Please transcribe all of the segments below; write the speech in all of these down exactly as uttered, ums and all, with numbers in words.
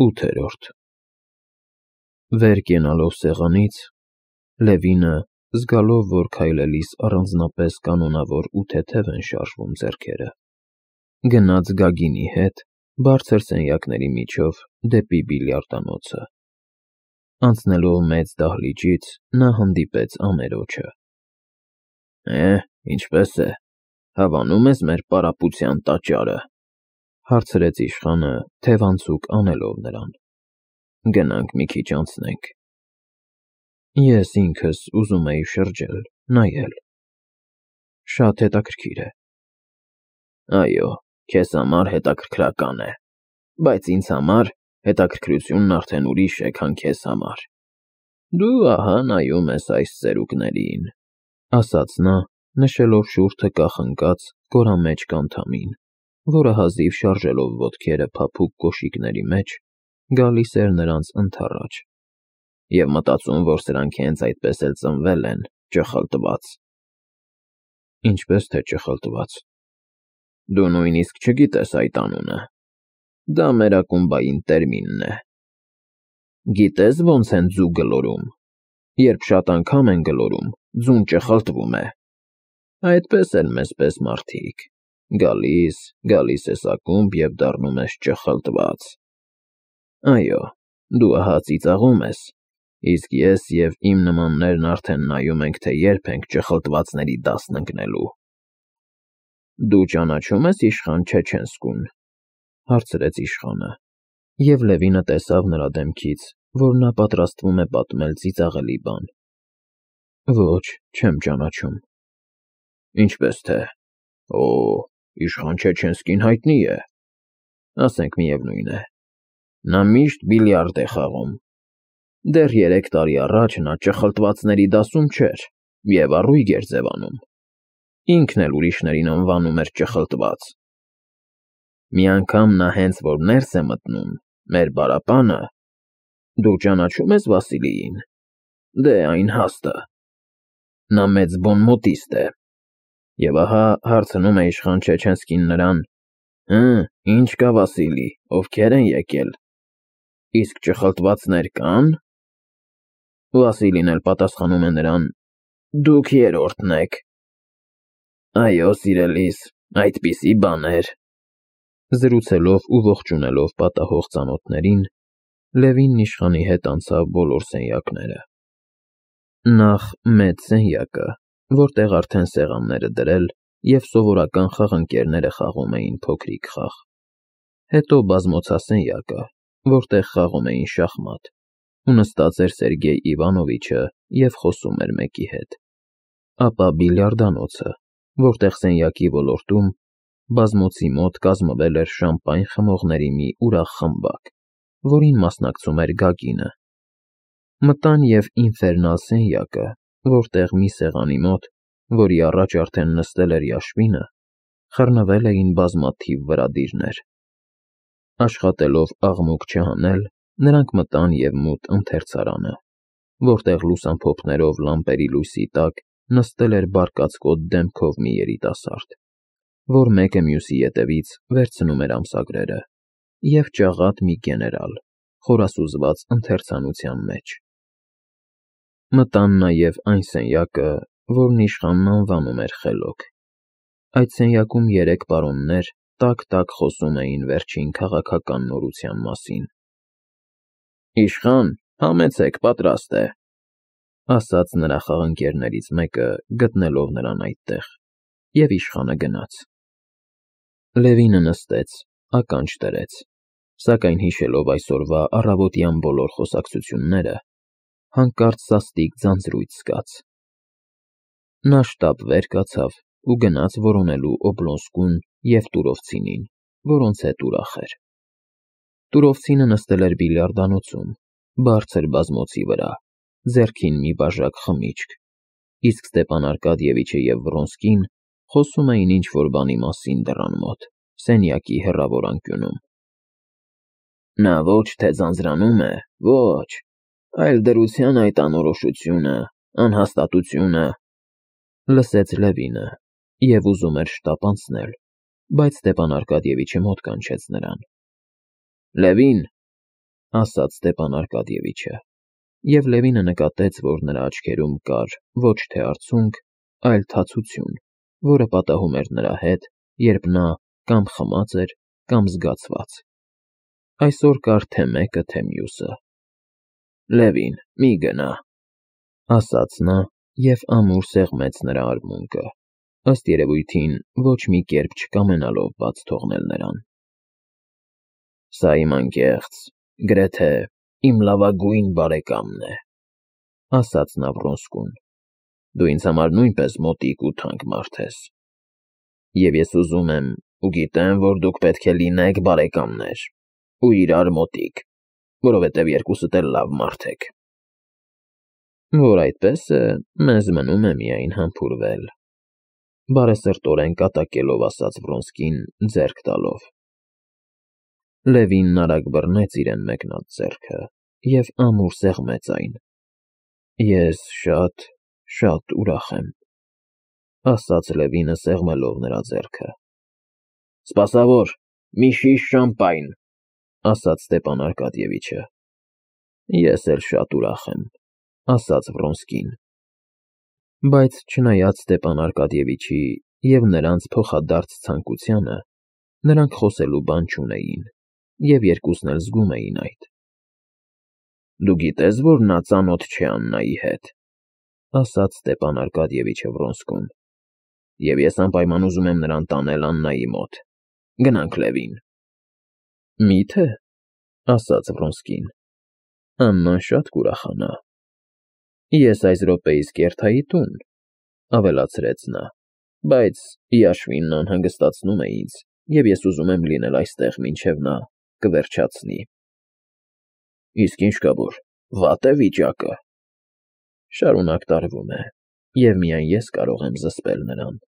ութերորդ Վեր կենալով սեղանից, Լևինը, զգալով, որ քայլելիս առանձնապես կանոնավոր ու թեթև են շարժվում ձեռքերը, գնաց Գագինի հետ բարձր սենյակների միջով դեպի բիլիարդանոցը. անցնելով մեծ դահլիճից, նա հանդիպեց ամերոջը. Է, ինչպե՞ս է, հավանո՞ւմ ես մեր պարապության տաճարը, հարցրեց իշխանը, թևանցուկ անելով նրան. գնանք մի քիչ անցնենք. Ես ինքս ուզում էի շրջել, նայել. շատ հետաքրքիր է. Այո, քեզ համար հետաքրքրական է, բայց ինձ համար հետաքրքրությունն արդեն ուրիշ է, քան քեզ համար. Դու ահա նայում ես այս ծերուկներին, ասաց նա, նշելով շուրթը կախնկած կորամեջ անդամին, որը հազիվ շարժելով ոտքերը փափուկ կոշիկների մեջ, գալիս էր նրանց ընդառաջ, և մտածում, որ սրանք հենց այդպես էլ ծնվել են, ճխլտված. Ինչպես թե ճխլտված: Դու նույնիսկ չգիտես այդ անունը, դա մեր ակումբային տերմինն է: Գիտե՞ս ոնց են ձու գլորում, երբ շատ անգամ են գլորում, ձուն ճխլտվում է: Այդպես էլ մեզ պես մարդիկ, գալիս, գալիս ես ակումբ և դառնում ես ճխլտված: Այո, դու ահա ծիծաղում ես, իսկ ես և իմ նմաններն արդեն նայում ենք, թե երբ ենք ճխլտվածների դասն ընկնելու: Դու ճանաչո՞ւմ ես իշխան Չեչենսկուն, հարցրեց իշխանը, և Լևինը տեսավ նրա դեմքից, որ նա պատրաստվում է պատմել ծիծաղելի բան: Ոչ, չեմ ճանաչում: Ինչպես թե, օ, իշխան Չեչենսկին հայտնի է, ասենք միևնույն է, նա միշտ բիլիարդ է խաղում: Դեռ երեք տարի առաջ նա ճխլտվածների դասում չէր և առույգ էր ձևանում, ինքն էլ ուրիշներին անվանում էր ճխլտված: Մի անգամ նա հենց որ ներս է մտնում, մեր բարապանը, դու ճանաչո՞ւմ ես Վասիլիին, դե այն հաստը, նա մեծ բոնմոտիստ է, և ահա հարցնում է իշխան Չեչենսկին նրան. Հը, ինչ կա Վասիլի, ովքեր են եկել, իսկ ճխլտվածներ կա՞ն: Վասիլին էլ պատասխանում է նրան. դուք երրորդն եք: Այո, սիրելիս, այդպիսի բաներ: Զրուցելով ու ողջունելով պատահող ծանոթներին, Լևինն իշխանի հետ անցավ բոլոր սենյակները: Նախ մեծ սենյակը, որտեղ արդեն սեղանները դրել և սովորական խաղընկերները խաղում էին փոքրիկ խաղ, հետո բազմոցասենյակը, որտեղ խաղում էին շախմատ, ու նստած էր Սերգեյ Իվանովիչը և խոսում էր մեկի հետ, ապա բիլիարդանոցը, որտեղ սենյակի ոլորտում, բազմոցի մոտ կազմվել էր շամպայն խմողների մի ուրախ խմբակ, որին մասնակցում էր Գագինը, մտան և ինֆերնալ սենյակը, որտեղ մի սեղանի մոտ, որի առաջ արդեն նստել էր Yashvin-ը, խռնվել էին բազմաթիվ վրադիրներ: Աշխատելով աղմուկ չհանել, նրանք մտան և մութ ընթերցարանը, որտեղ լուսամփոփներով լամպերի լույսի տակ նստել էր բարկացկոտ դեմքով մի երիտասարդ, որ մեկը մյուսի ետևից վերցնում էր ամսագրերը, և ճաղատ մի գեներալ, խորասուզված ընթերցանության մեջ: Մտան նաև այն սենյակը, որն իշխանն անվանում էր խելոք: Այդ սենյակում երեք պարոններ տաք-տաք խոսում էին վերջին քաղաքական նորության մասին: Իշխան, համեցեք, պատրաստ է, ասաց նրա խաղընկերներից մեկը, գտնելով նրան այդտեղ, և իշխանը գնաց: Լևինը նստեց, ականջ դրեց, սակայն հիշելով այսօրվա առավոտյան բոլոր խոսակցությունները, հանկարծ սաստիկ ձանձրույթ զգաց: Նա շտապ վեր կացավ ու գնաց որոնելու Օբլոնսկուն և Տուրովցինին, որոնց հետ ուրախ էր: Տուրովցինը նստել էր բիլիարդանոցում, բարձր բազմոցի վրա, ձեռքին մի բաժակ խմիչք, իսկ Ստեպան Արկադիևիչը և Վռոնսկին խոսում էին ինչ-որ բանի մասին դռան մոտ, սենյակի հեռավոր անկյունում: Նա ոչ թե ձանձրանում է, ոչ, այլ դրության այդ անորոշությունը, անհաստատությունը, լսեց Լևինը և ուզում էր շտապ անցնել, բայց Ստեպան Արկադիևիչը մոտ կանչեց նրան: Լևին, ասաց Ստեփան Արկադիևիչը, և Լևինը նկատեց, որ նրա աչքերում կար ոչ թե արցունք, այլ թացություն, որը պատահում էր նրա հետ, երբ նա կամ խմած էր, կամ զգացված. այսօր կար թե մեկը, թե մյուսը։ Լևին, մի գնա, ասաց նա և ամուր սեղմեց նրա արմունկը, ըստ երևույթին ոչ մի կերպ չկամենալով բաց թողնել նրան։ Սա իմ անկեղծ, գրեթե իմ լավագույն բարեկամն է, ասաց նա Վռոնսկուն, դու ինձ համար նույնպես մոտիկ ու թանկ մարդ ես, և ես ուզում եմ ու գիտեմ, որ դուք պետք է լինեք բարեկամներ ու իրար մոտիկ, որովհետև երկուսդ էլ լավ մարդ եք։ Որ այդպես է, մեզ մնում է միայն համբուրվել, բարեսրտորեն կատակելով ասաց Վռոնսկին, ձեռք տալով։ Լևինն արագ բռնեց իրեն մեկնած ձեռքը և ամուր սեղմեց այն։ Ես շատ, շատ ուրախ եմ, ասաց Լևինը սեղմելով նրա ձեռքը։ Սպասավոր, մի շիշ շամպայն, ասաց Ստեփան Արկադիևիչը։ Ես էլ շատ ուրախ եմ, ասաց Վռոնսկին։ Բայց չնայած Ստեփան Արկադիևիչի և նրանց փոխադարձ ցանկությանը, նրանք խոսելու բան չունեին, և երկուսն էլ զգում էին այդ։ Դու գիտես, որ նա ծանոթ չէ Աննայի հետ, ասաց Ստեփան Արկադիևիչը Վռոնսկուն, և ես անպայման ուզում եմ նրան տանել Աննայի մոտ։ Գնանք, Լևին։ Մի՞թե, ասաց Վռոնսկին, Աննան շատ կուրախանա։ Ես այս րոպեիս կերթայի տուն, ավելացրեց նա, բայց Yashvin-ն անհանգստացնում է ինձ, և ես ուզում եմ լինել այստեղ, մինչև նա կվերջացնի։ Իսկ ինչ կա, որ վատ է վիճակը։ Շարունակ տարվում է, և միայն ես կարող եմ զսպել նրան։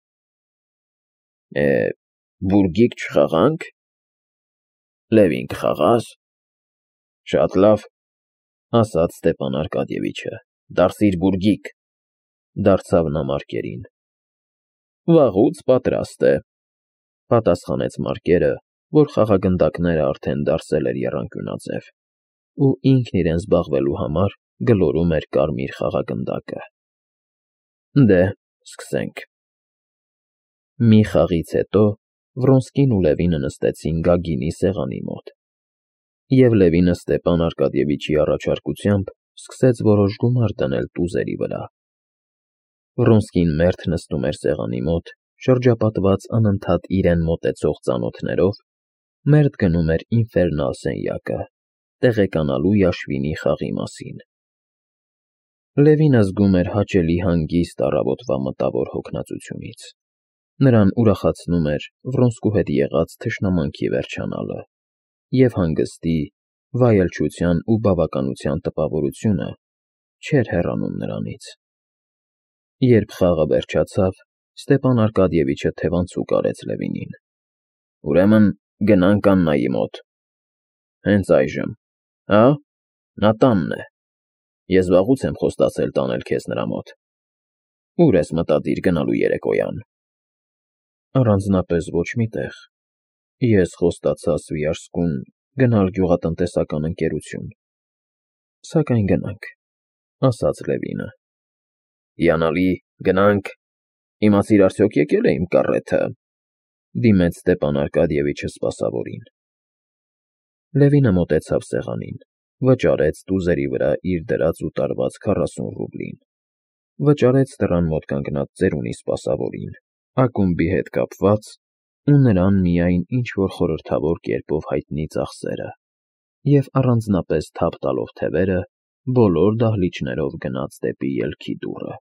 Է, բուրգիկ չխաղա՞նք։ Լևին, կխաղա՞ս։ Շատ լավ, ասաց Ստեփան Արկադիևիչը, դարձիր բուրգիկ, դարձավ նա Մարկերին։ Վաղուց պատրաստ է, պատասխանեց Մարկերը, որ խաղագնդակները արդեն դարսել էր եռանկյունաձև, ու ինքն իրեն զբաղվելու համար գլորում էր կարմիր խաղագնդակը։ Դե, սկսենք։ Մի խաղից հետո Վռոնսկին ու Լևինը նստեցին Գագինի սեղանի մոտ, և Լևինը Ստեփան Արկադիևիչի առաջարկությամբ սկսեց որոշ գումար դնել տուզերի վրա։ Վռոնսկին մերթ նստում էր սեղանի մոտ, շրջապատված անընդհատ իրեն մոտեցող ծանոթներով, մերթ գնում էր ինֆերնալ սենյակը, տեղեկանալու Yashvin-ի խաղի մասին։ Լևինը զգում էր հաճելի հանգիստ առավոտվա մտավոր հոգնածությունից։ Նրան ուրախացնում էր Վռոնսկու հետ եղած թշնամանքի վերջանալը, և հանգստի, վայելչության ու բավականության տպավորությունը չէր հեռանում նրանից։ Երբ խաղը վերջացավ, Ստեփան Արկադիևիչը թևանցուկ արեց Լևինին։ Ուրեմն գնանք Աննայի մոտ։ Հենց այժմ, հա՞, նա տանն է։ Ես վաղուց եմ խոստացել տանել քեզ նրա մոտ։ Ո՞ւր ես մտադիր գնալու երեկոյան։ Առանձնապես ոչ մի տեղ։ Ես խոստացա Սվիաժսկուն գնալ գյուղատնտեսական ընկերություն։ Սակայն գնանք, ասաց Լևինը։ Հիանալի, գնանք։ Իմացիր արդյոք եկել է իմ կառեթը, դիմեց Ստեփան Արկադիևիչը սպասավորին։ Լևինը մոտեցավ սեղանին, վճարեց տուզերի վրա իր դրած ու տարված քառասուն ռուբլին, վճարեց դռան մոտ կանգնած ծերունի սպասավորին, ակումբի հետ կապված ու նրան միայն ինչ֊որ խորհրդավոր կերպով հայտնի ծախսերը, և առանձնապես թափ տալով թևերը, բոլոր դահլիճներով գնաց դեպի ելքի դուռը։